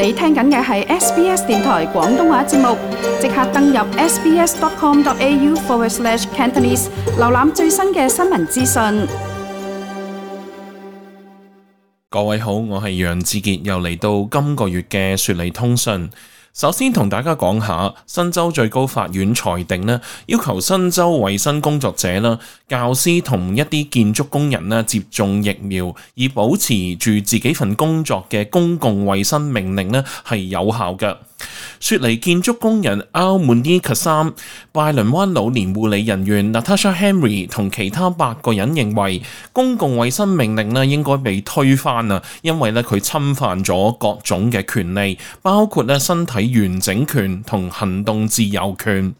你聽緊嘅係 SBS 電台廣東話節目，即刻登入 sbs.com.au/cantonese 瀏覽最新嘅新聞資訊。各位好，我係楊志傑，又嚟到今個月嘅雪梨通訊。首先同大家講下，新州最高法院裁定呢，要求新州衛生工作者啦、教師同一啲建築工人呢接種疫苗，以保持住自己份工作嘅公共衛生命令呢係有效嘅。雪梨建築工人 Al-Munir Qassam、拜倫灣老年護理人員 Natasha Henry 同其他8個人認為，公共衛生命令呢應該被推翻啊，因為呢佢侵犯咗各種嘅權利，包括呢身體完整權同行動自由權。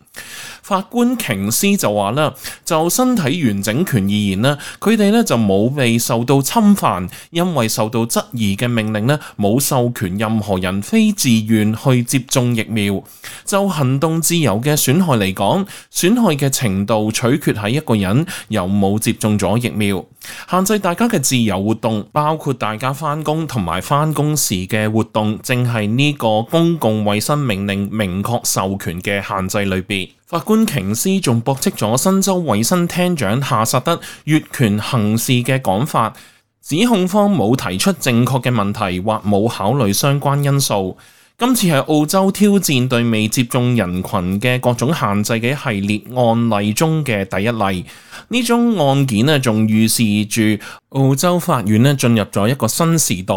法官瓊斯就話啦，就身體完整權而言呢，佢哋呢就冇被受到侵犯，因為受到質疑嘅命令呢冇授權任何人非自願去接種疫苗。就行動自由嘅損害嚟講，損害嘅程度取決喺一個人有冇接種咗疫苗。限制大家嘅自由活動，包括大家返工同埋返工時嘅活動，正係呢個公共衛生命令明確授權嘅限制裏邊。法官瓊斯仲駁斥咗新州衛生廳長夏薩德越權行事嘅講法，指控方冇提出正確嘅問題或冇考慮相關因素。今次係澳洲挑戰對未接種人群嘅各種限制嘅一系列案例中嘅第一例。呢宗案件呢，仲預示住澳洲法院呢進入咗一個新時代。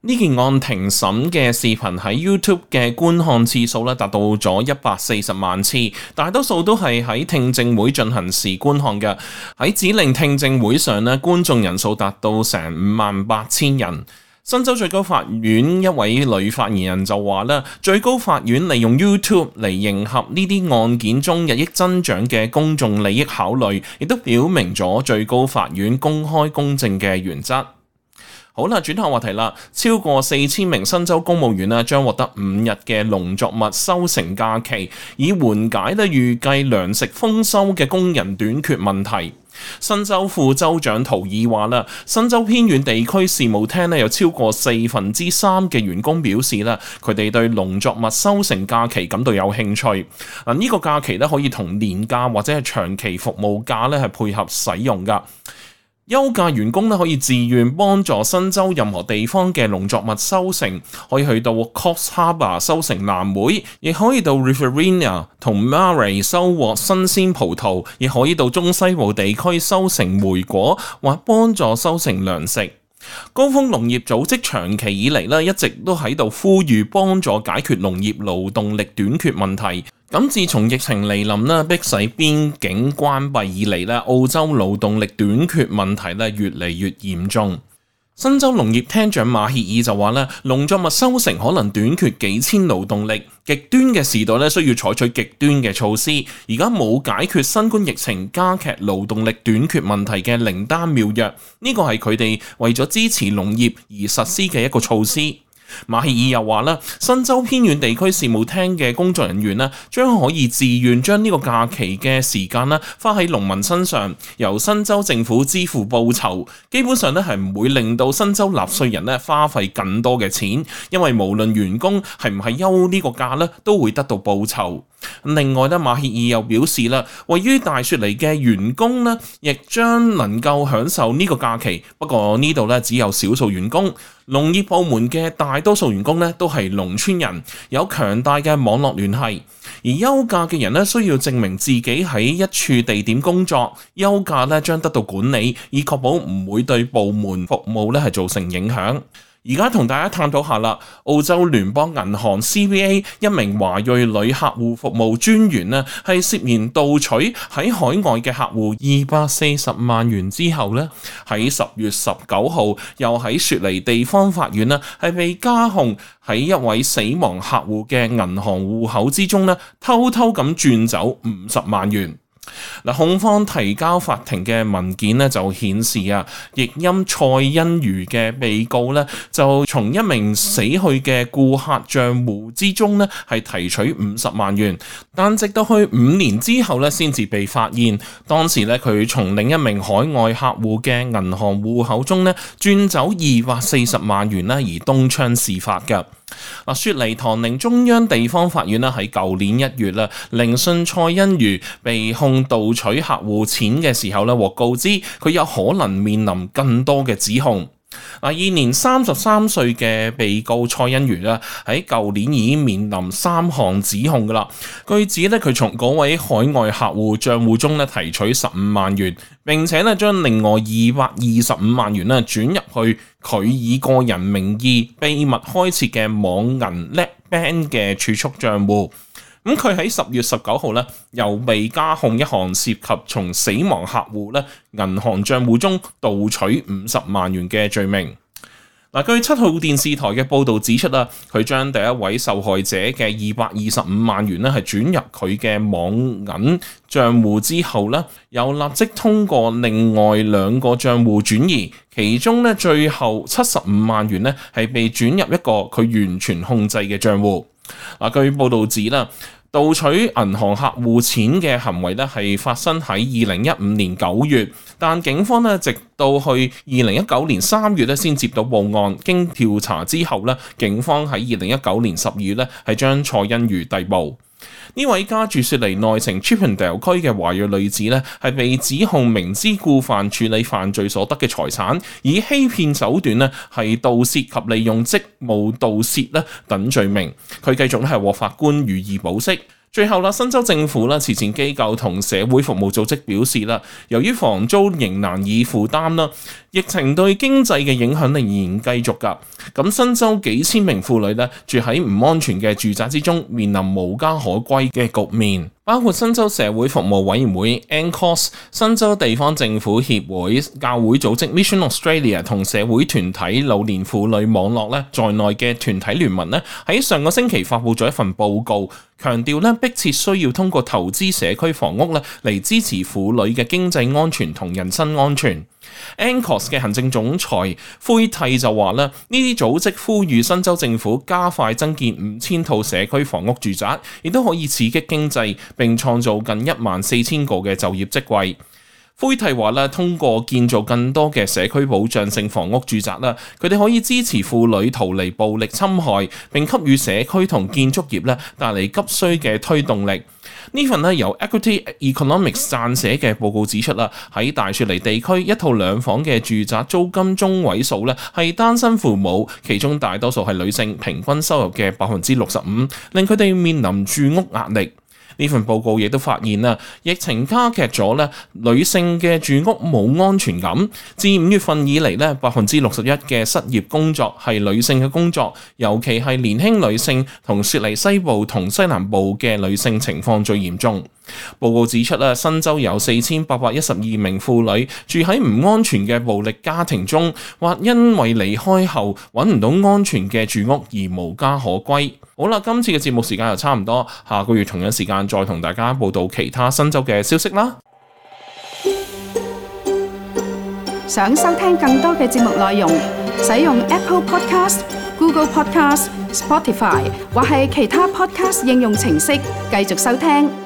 呢件案庭審嘅視頻喺 YouTube 嘅觀看次數咧達到咗140萬次，大多數都係喺聽證會進行時觀看嘅。喺指令聽證會上咧，觀眾人數達到成58,000人。新州最高法院一位女發言人就話咧，最高法院利用 YouTube 嚟迎合呢啲案件中日益增長嘅公眾利益考慮，亦都表明咗最高法院公開公正嘅原則。好啦，轉下話題啦。超過4000名新州公務員將獲得5日嘅農作物收成假期，以緩解預計糧食豐收嘅工人短缺問題。新州副州長圖爾話啦，新州偏遠地區事務廳有超過3%嘅員工表示啦，佢哋對農作物收成假期感到有興趣。呢個假期可以同年假或者係長期服務假係配合使用噶。休假員工可以自願幫助新州任何地方嘅農作物收成，可以去到 Coffs Harbour 收成藍莓，亦可以到 Riverina 同 Murray 收穫新鮮葡萄，亦可以到中西部地區收成莓果，或幫助收成糧食。高峰農業組織長期以嚟一直都喺度呼籲幫助解決農業勞動力短缺問題。咁自從疫情嚟臨迫使邊境關閉以嚟澳洲勞動力短缺問題越嚟越嚴重。新州農業廳長馬歇爾就話農作物收成可能短缺幾千勞動力，極端嘅時代需要採取極端嘅措施。而家冇解決新冠疫情加劇勞動力短缺問題嘅靈丹妙藥，呢個係佢哋為咗支持農業而實施嘅一個措施。馬歇爾又話新州偏遠地區事務廳嘅工作人員將可以自願將呢個假期嘅時間花喺農民身上，由新州政府支付報酬。基本上係唔會令到新州納稅人花費更多嘅錢，因為無論員工係唔係休呢個假都會得到報酬。另外馬歇爾又表示位於大雪梨嘅員工亦將能夠享受呢個假期，不過呢度只有少數員工。農業部門嘅大多數員工都係農村人，有強大嘅網絡聯繫，而休假嘅人需要證明自己喺一處地點工作，休假將得到管理，以確保唔會對部門服務係造成影響。而家同大家探討下啦，澳洲聯邦銀行 CBA 一名華裔女客戶服務專員係涉嫌盜取喺海外嘅客戶240萬元之後喺10月19號又喺雪梨地方法院係被加控喺一位死亡客戶嘅銀行戶口之中偷偷咁轉走50萬元。嗱，控方提交法庭嘅文件咧就顯示啊，譯音蔡欣如嘅被告咧就從一名死去嘅顧客賬戶之中咧係提取50萬元，但直到去5年之後咧先至被發現。當時咧佢從另一名海外客戶嘅銀行戶口中咧轉走240萬元啦，而東窗事發㗎。嗱，雪梨唐寧中央地方法院喺舊年1月啦，聆訊蔡欣如被控盜取客戶錢嘅時候咧，獲告知佢有可能面臨更多嘅指控。現年33歲嘅被告蔡欣如咧，喺舊年已經面臨3項指控噶啦。據指咧，佢從嗰位海外客戶賬戶中咧提取15萬元，並且咧將另外225萬元咧轉入去佢以個人名義秘密開設嘅網銀 NetBank 嘅儲蓄賬戶。咁佢喺10月19號咧，又被加控一項涉及從死亡客戶咧銀行賬戶中盜取50萬元嘅罪名。據7號電視台嘅報導指出啦，佢將第一位受害者嘅225萬元咧係轉入佢嘅網銀賬戶之後咧，又立即通過另外2個賬戶轉移，其中咧最後75萬元咧係被轉入一個佢完全控制嘅賬戶。據報導指啦，盜取銀行客戶錢嘅行為咧係發生喺2015年9月，但警方咧直到去2019年3月咧先接到報案，經調查之後咧，警方喺2019年12月咧係將蔡欣如逮捕。呢位家住雪梨內城 Chippendale 區嘅華裔女子咧，係被指控明知故犯處理犯罪所得嘅財產，以欺騙手段咧係盜竊及利用職務盜竊咧等罪名。佢繼續咧係獲法官予以保釋。最後啦，新州政府啦、慈善機構同社會服務組織表示啦，由於房租仍難以負擔啦，疫情對經濟嘅影響仍然繼續㗎。咁新州幾千名婦女咧住喺唔安全嘅住宅之中，面臨無家可歸嘅局面。包括新州社會服務委員會 ANCOS、新州地方政府協會、教會組織 Mission Australia 同社會團體老年婦女網絡咧在內嘅團體聯盟咧，喺上個星期發布咗一份報告，強調咧迫切需要通過投資社區房屋咧嚟支持婦女嘅經濟安全同人身安全。ANCOS 嘅行政總裁灰蒂就話咧，呢啲組織呼籲新州政府加快增建5000套社區房屋住宅，亦都可以刺激經濟，並創造近14000個嘅就業職位。灰蒂話咧，通過建造更多嘅社區保障性房屋住宅啦，佢哋可以支持婦女逃離暴力侵害，並給予社區同建築業咧帶嚟急需嘅推動力。呢份咧由 Equity Economics 撰寫嘅報告指出啦，喺大雪梨地區一套2房嘅住宅租金中位數咧係單身父母，其中大多數係女性，平均收入嘅65%，令佢哋面臨住屋壓力。呢份報告亦都發現啦，疫情加劇咗咧女性嘅住屋冇安全感。自5月份以嚟咧，61%嘅失業工作係女性嘅工作，尤其係年輕女性同雪梨西部同西南部嘅女性情況最嚴重。報告指出啦，新州有4812名婦女住喺唔安全嘅暴力家庭中，或因為離開後揾唔到安全嘅住屋而無家可歸。好啦，今次嘅節目時間又差唔多，下個月同樣時間再同大家報道其他新州嘅消息啦。想收聽更多嘅節目內容，使用 Apple Podcast、Google Podcast、Spotify 或係其他 Podcast 應用程式繼續收聽。